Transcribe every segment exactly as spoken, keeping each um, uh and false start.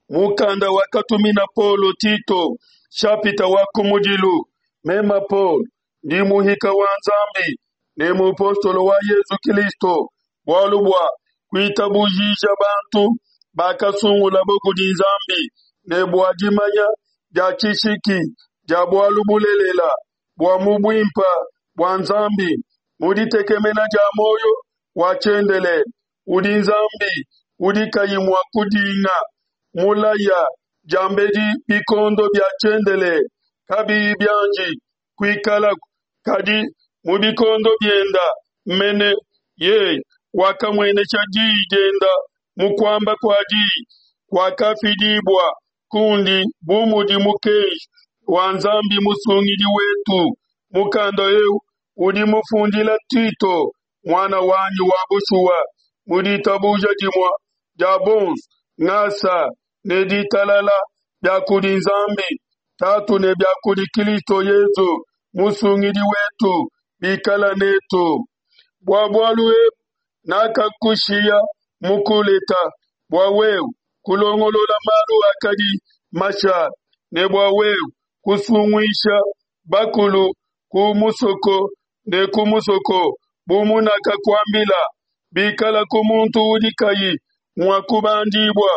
Mukanda wakatumina Paulo Tito, nshapita wa kumudilu. Mema Paulo, ndi muhika wa Nzambi ne mupostolo wa Yezu Kilisto bualu bua kuitabujija bantu bakasungulabo kudi Nzambi ne bua dimanya dia tshishiki dia bualu bulelela bua mu buimpe bua Nzambi, mu ditekemena dia muoyo wa tshiendelele udi Nzambi, udi kayi mua kudinga, mulaya diambedi bikondo bia tshiendelele kabiyi bianji kuikalaku, kadi mu bikondo bienda mene yeye wakamuenesha diyi dienda mu kuamba kua diyi kuakafidibua kundi bu mudi mukenji wa Nzambi Musungidi wetu. Mukanda eu udi mufundila Tito, muana wanyi wa bushuwa mu ditabuja dimue dia bonso, ngasa ne ditalala bia kudi Nzambi Tatu ne bia kudi Kristo Yezu Musungidi wetu bikala netu. Bua bualu ebu nakakushiya mu Kuleta, bua wewe kulongolola malu akadi mashale, ne bua wewe kusunguisha bakulu ku musoko ne ku musoko, bu munakakuambila. Bikalaku muntu udi kayi mua kubandibua,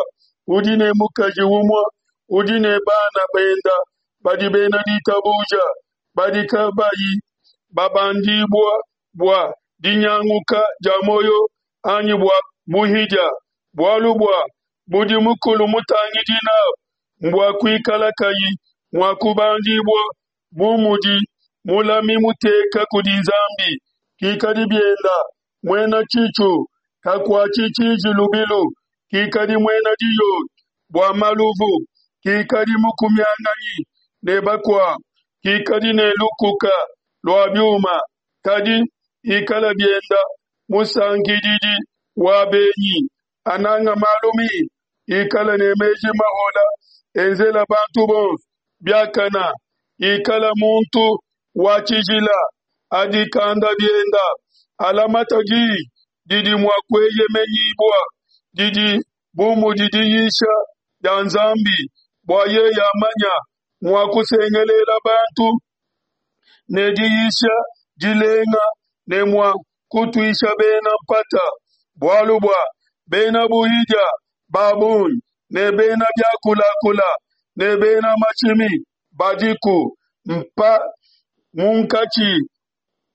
udi ne mukaji umue, udi ne bana benda badi bena ditabuja, badi kabayi babandibua bua dinyanguka dia muoyo anyi bua buhidia. Bualu bua budi mukulu mutangidi nabu mbua kuikala kayi mua kubandibua bu mudi mulami muteka kudi Nzambi, kikadi bienda muena tshitshu, kakuatshi tshiji lubilu, kikadi muena diyoyo bua maluvu, kikadi mukumianganyi ne bakuabu, kikadi ne lukuka lua biuma, kadi ikala bienda musankididi wa benyi, ananga malu mimpe, ikala ne meji mahola, enzela bantu bonso biakana, ikala muntu wa tshijila, adikanda bienda, alamata diyi didi mua kueyemenyibua, didi bu mudi diyisha dia Nzambi, bua yeye amanya mua kusengelela bantu ne diyisha dilenga ne mua kutuisha bena mpata. Bualu bua bena buhidia ba bungi ne bena biakulakula ne bena mashimi badiku mpa munkatshi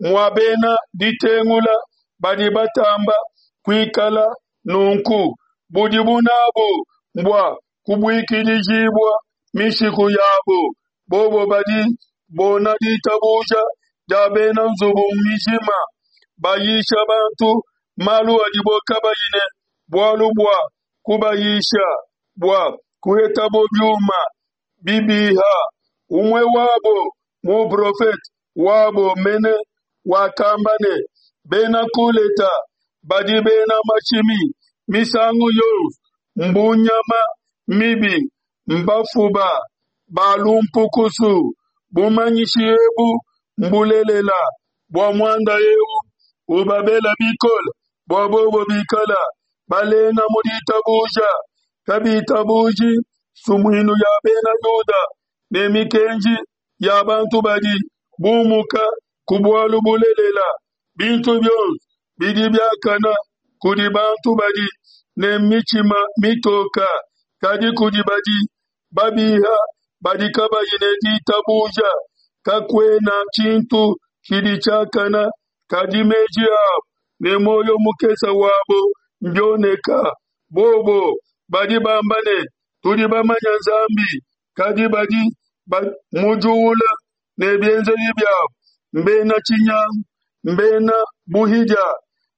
mua bena ditengula badi batamba kuikala nunku. Budibu nabu mbua kubuikidijibua mishiku yabo, bobo badi bona ditabuja dia bena nzubu mijima, bayisha bantu malu adibo kabayi ne bualu bua kubayisha, bua kuhetabo biuma bibiha. Umue wabo, muprofete wabo mene, wakamba ne, Bena Kuleta badi bena mashimi misangu yonso, mbu nyama mibi, mbafuba ba lumpukusu. Bumanyishi ebu mbulelela. Bua muanda eu ubabela bikole bua bobo bikala balenga mu ditabuja, kabitabuji nsumuinu ya bena Yuda ne mikenji ya bantu badi bumuka ku bualu bulelela. Bintu bionso bidi biakana kudi bantu badi ne mitshima mitoka, kadi kudi badi babiha badi kabayi ne ditabuja kakuena tshintu tshidi tshiakana, kadi meji abo ne muoyo mukese wabo mbioneka. Bobo badi bamba ne, Tudi bamanye Nzambi, kadi badi bamujuula ne bienzedi biabo, mbena tshinyangu, mbena buhidia,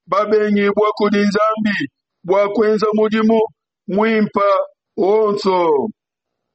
babengibua kudi Nzambi bua kuenza mudimu muimpe wonso.